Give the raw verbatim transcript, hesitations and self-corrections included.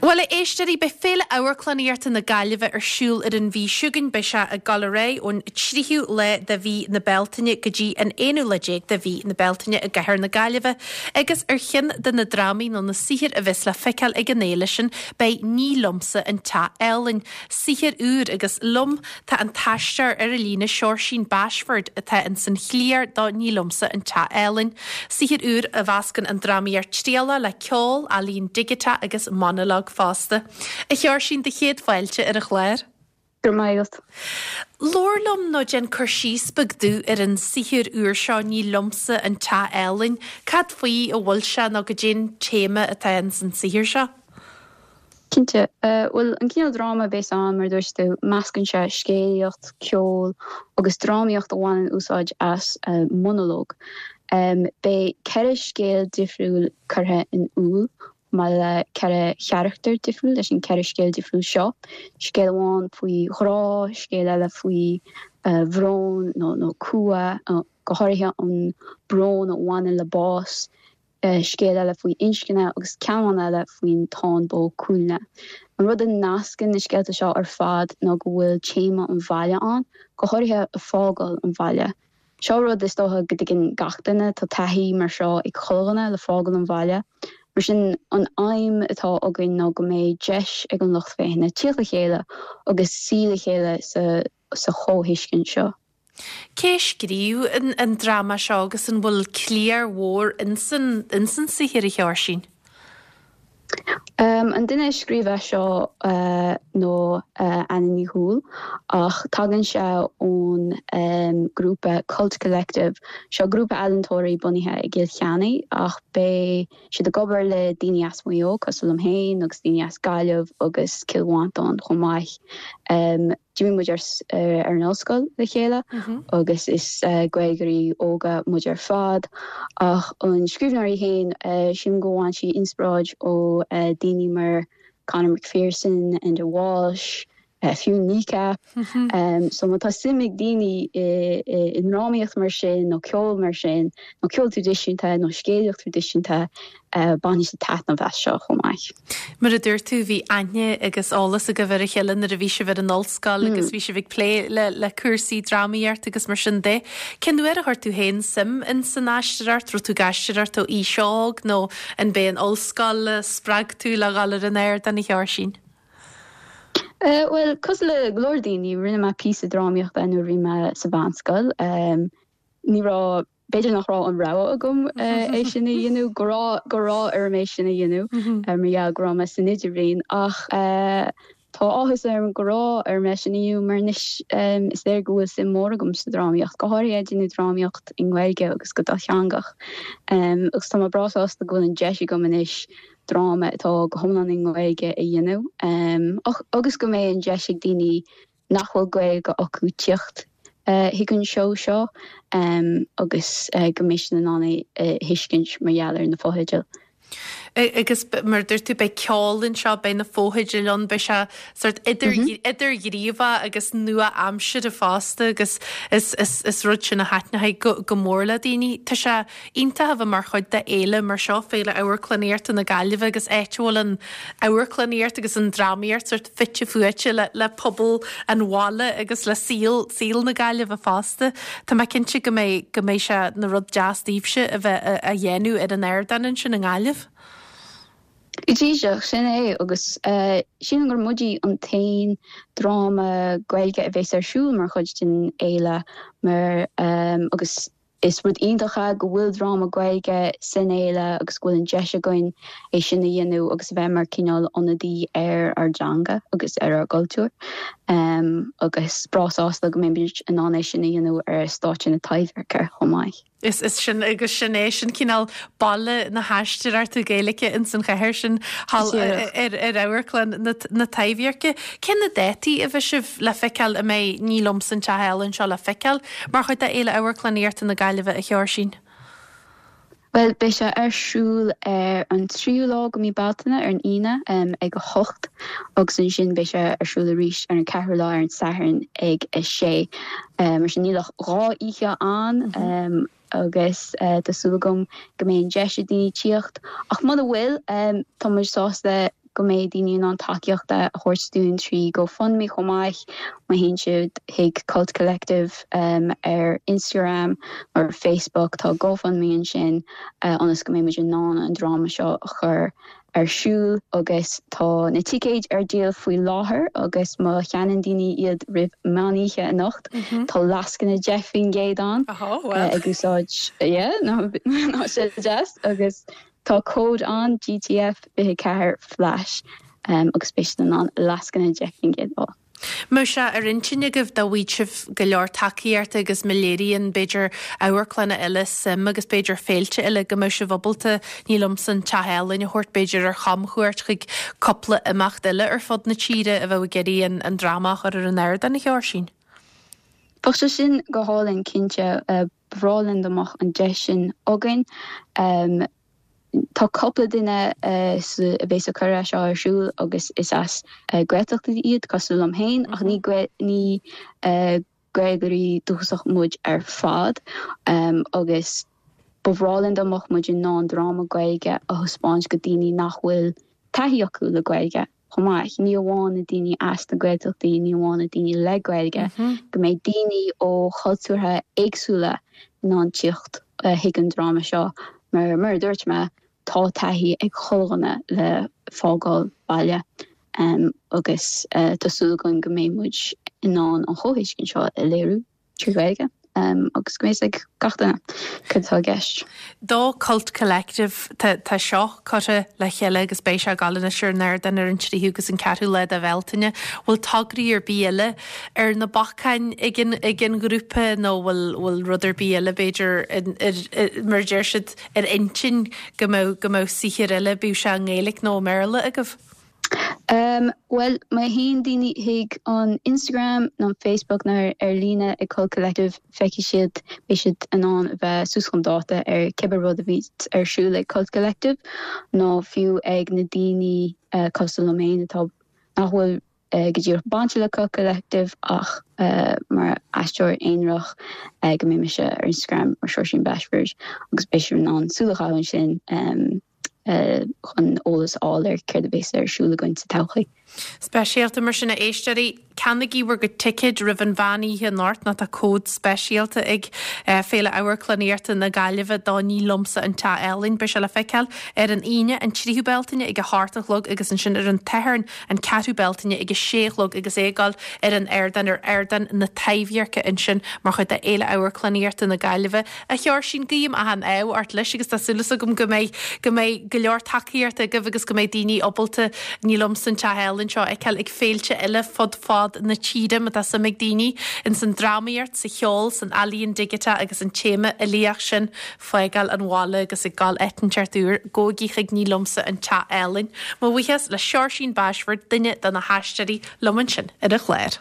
Bhuel a éisteoirí beidh Féile Amharclannaíochta na Gaillimhe ar siúl ar an mhí seo chugainn beidh sé ag dul ar aghaidh ón tríú lá de mhí na Bealtaine go dtí an aonú lá déag de mhí na Bealtaine i gcathair na Gaillimhe agus ar cheann de na drámaí nó na saothair a bheas le feiceáil ag an fhéile sin beidh Ní Liomsa an Teach Álainn, saothar úr agus liom tá an t-aisteoir ar an líne Seoirsín Bashford atá in san chliar do Ní Liomsa an Teach Álainn. Saothar úr a mheascann an drámaíocht trialach le ceol, ealaín digiteach agus monalóg fosta. A Sheoirsín do chéad fáilte ar an chlár. Gur maith. Labhair liom nó déan cur síos beag domh ar an saothar úr seo Ní Liomsa an Teach Álainn, Cad faoi a bhfuil sé nó goidé an téama atá in san saothar seo? Cinnte bhuel an cineál dráma a bheas ann mar dúirt tú meascann sé scéalaíocht, ceol agus drámaíocht a bhaineann úsáid as uh, monalóg. Um, beidh ceithre scéal difriúil curtha in iúl mar le ceithre charachtar difriúil leis an ceithre scéal difriúil seo. Scéal amháin faoi ghrá, scéal eile faoi uh, bhrón nó nó cumha uh, go háirithe an brón a bhaineann le bás, uh, scéal eile faoi inscne agus ceann eile faoin Táin Bó Cúailnge. An rud a nascann na scéalta seo ar fad ná go bhfuil téama an bhaile ann, go háirithe a fágáil an bhaile. Seo rud is dócha go dtuigeann gach duine tá taithí mar seo ag chuile dhuine le fágáil an bhaile. Mar sin an aidhm atá againn ná go mbeidh deis ag an lucht féachana teacht le chéile agus suí le chéile sa, sa chomhthuiscint seo. Cé scríobh an, an dráma seo agus an bhfuil cliar mhór insan insan saothar a Sheoirsín? Um, an duine scríobh seo uh, nó uh, Anna Ní Dhúill ach tagann sé ón um, grúpa Cult Collective seo grúpa ealaíontóirí bunaithe i gCill Chainnigh ach beidh siad ag obair le daoine as Maigh Eo cosúil liom féin agus daoine as Gaillimh agus Cill Mhantáin chomh maith. Um, D'imigh muid ar, uh, ar an ollscoil le chéile mm -hmm. agus is uh, Gaeilgeoirí óga muid ar fad ach an scríbhneoir í féin uh, sin go bhfaigheann sí inspioráid ó uh, daoine mar Conor McPherson Enda Walsh, uh, fiú Kneecap mm -hmm. um, so má tá suim ag daoine i ndrámaíocht mar sin nó ceol mar sin nó ceol traidisiúnta nó scéalaíocht traidisiúnta uh, bainfidh siad taitneamh as seo chomh maith. Mar a dúirt tú bhí aithne agus eolas agaibh ar a chéile nuair a bhí sibh ar an ollscoil mm. agus bhí sibh ag plé le le cúrsaí drámaíocht agus mar sin de. Cén uair a chuir tú féin suim in san aisteoireacht, raibh tú ag aisteoireacht ó aois óg nó an b'é an ollscoil spreag tú le dhul ar an ardán a Sheoirsín. Uh, well cosúil le go leor daoine rinne mé píosa drámaíochta nuair bhí mé sa mheánscoil. Um, ní raibh b'fhéidir nach raibh an rogha agam uh, é sin a dhéanamh go raibh go raibh orm é sin a dhéanamh mm -hmm. mar go raibh mé san idirbhliain ach uh, tá áthas orm go raibh orm é sin a dhéanamh mar anois um, is léir go bhfuil suim mór agam sa drámaíocht go háirithe déanamh drámaíocht i nGaeilge agus go dátheangach. Um, agus tá mé breá sásta go bhfuil an deis agam anois dráma atá go hiomlán i nGaeilge a dhéanamh um, agus go mbeidh an deis ag daoine nach bhfuil Gaeilge acu teacht uh, chuig an seó seo um, agus uh, go mbeidh siad in ann uh, thuiscint mar gheall ar na fotheidil. Agus mar dúirt tú beidh ceol anseo beidh na fotheidil ann beidh sé sort idir mm -hmm. idirghníomhach agus nua-aimseartha fosta agus is, is, is rud sin a thaitneoidh go, go mór le daoine. Tá sé iontach a bheith mar chuid de fhéile mar seo Féile Amharclannaíochta na Gaillimhe agus áit a bhfuil an amharclannaíocht agus an drámaíocht sort fite fuaite le, le pobal an bhaile agus le saol saol na Gaillimhe fosta. Tá mé cinnte go mbeidh go mbeidh sé ina rud deas daoibhse a bheith a dhéanamh ar an ardán ansin i nGaillimh. Díreach sin é agus uh, sin gur muide an t-aon dráma Gaeilge a bheas ar siúl mar chuid den fhéile mar um, agus is rud iontach é go bhfuil dráma Gaeilge san fhéile agus go bhfuil an deis againn é sin a dhéanamh agus a bheith mar cineál ionadaí ar ár dteanga agus ar ár gcultúr. Um, agus breá sásta go mbeidh in ann é sin a dhéanamh ar stáitse na Taibhdheirce chomh maith. Is is sin agus sin é sin cineál baile na haisteoireachta Gaeilge in san chathair sin thall ar ar amharclann na Taibhdheirce. Cé na dátaí a bheidh sibh le feiceáil a mbeidh Ní Liomsa an Teach Álainn seo le feiceáil mar chuid de Fhéile Amharclannaíochta na Gaillimhe a Sheoirsín. Well beidh sé ar siúl ar an tríú lá de mhí Bealtaine ar an Aoine um, ag a hocht agus ansin beidh sé ar siúl arís ar an ceathrú lá ar an Satharn ag a sé. Um, mar sin níl ach dhá oíche ann mm -hmm. um, agus uh, tá súil agam go mbeidh an deis ag daoine teacht ach muna bhfuil um, tá muid sásta go mbeidh daoine in ann tacaíocht a thabhairt dúinn trí GoFundMe chomh maith má théann siad chuig Cult Collective um, ar Instagram or Facebook tá GoFundMe ansin uh, ionas go mbeidh muid in ann an dráma seo a chur ar siúl agus tá na ticéid ar díol faoi láthair agus má cheannaíonn daoine iad roimh meánoíche anocht mm -hmm. Tá lascaine deich faoin gcéad ann uh, ag úsáid ná sé deas agus tá cód an GTF fiche ceathair flash um, agus beidh an lascaine deich faoin gcéad á. Má sé ar intinn agaibh dá bhfaigheadh sibh go leor tacaíochta agus má léiríonn b'fhéidir amharclanna eile suim agus b'fhéidir féilte eile go mbeadh sibh ábalta Ní Liomsa an Teach Álainn a thabhairt b'fhéidir ar chamchuairt chuig cúpla imeacht eile ar fud na tíre a bheith ag iarraidh an dráma a chur ar an ardán a Sheoirsín. Bheadh sé sin go hálainn cinnte uh, ba bhreá linn dá mbeadh an deis sin againn. Um, Tá cúpla duine uh, a bheas ag cur é seo ar siúl agus is as uh, Gaeltacht iad cosúil liom féin ach ní ní uh, Gaeilgeoirí dúchasach muid ar fad um, agus ba bhreá linn dá mbeadh muid in ann dráma Gaeilge a thaispeáint go daoine nach bhfuil taithí acu le Gaeilge chomh maith ní amháin na daoine as na Gaeltachtaí ní amháin na daoine le Gaeilge mm -hmm. go mbeidh daoine ó chultúrtha éagsúla in ann teacht uh, chuig an dráma seo mar mar dúirt mé tá taithí ag chuile dhuine le fágáil baile um, agus uh, tá súil againn go mbeidh muid in ann an chomhthuiscint seo a léiriú trí Ghaeilge. Um, agus go mbeidh ag gach duine cad atá i gceist. Do Cult Collective tá seo curtha le chéile agus beidh sé ag gabháil anois ar an ardán ar an tríú agus an ceathrú lá de Bhealtaine, bhfuil tograí ar bith eile ar na bacáin ag an ghrúpa nó bhfuil bhfuil rud ar bith eile b'fhéidir mar deir siad ar intinn go mbeadh go mbeadh saothar eile bíodh sé i nGaeilge nó i mBéarla agaibh? Um, well má théann daoine chuig an Instagram nó Facebook nó ar líne ag Cult Collective feicfidh siad beidh siad in ann a bheith suas chun dáta ar cibé rud a bhí ar siúl ag Cult Collective nó fiú ag na daoine uh, cosúil liom féin atá nach bhfuil uh, go díreach bainte le Cult Collective ach uh, mar aisteoir aonarach uh, go mbeidh mise ar Instagram mar Seoirsín Bashford agus beidh siad in ann súil a chaitheamh ansin um, Uh, chun eolas a fháil ar céard a bheas ar siúl againn sa todhchaí. Speisialta mar sin a éisteoirí ceannaígí bhur gcuid ticéid roimh an mheánoíche anocht nó tá cód speisialta ag uh, Féile Amharclannaíochta na Gaillimhe do Ní Liomsa an Teach Álainn beidh sé le feiceáil ar an Aoine an tríú Bealtaine ag a hocht a chlog agus ansin ar an Satharn an ceathrú Bealtaine ag a sé a chlog agus é ag gabháil ar an ardán ar ardán na Taibhdheirce ansin mar chuid de Fhéile Amharclannaíochta na Gaillimhe a Sheoirsín guím achan ádh ort leis agus tá súil agam go mbeidh go mbeidh go leor tacaíochta agaibh agus go mbeidh daoine ábalta Ní Liomsa an Teach Álainn seo a fheiceáil ag féilte eile fud fad na tíre má tá suim ag daoine in san drámaíocht sa cheol san ealaíon digiteach agus an téama uilíoch sin fágáil an bhaile agus ag gabháil áit inteacht úr gabhaigí chuig Ní Liomsa an Teach Álainn. Mo bhuíochas le Seoirsín Bashford duine de na haisteoirí liom ansin ar an chlár.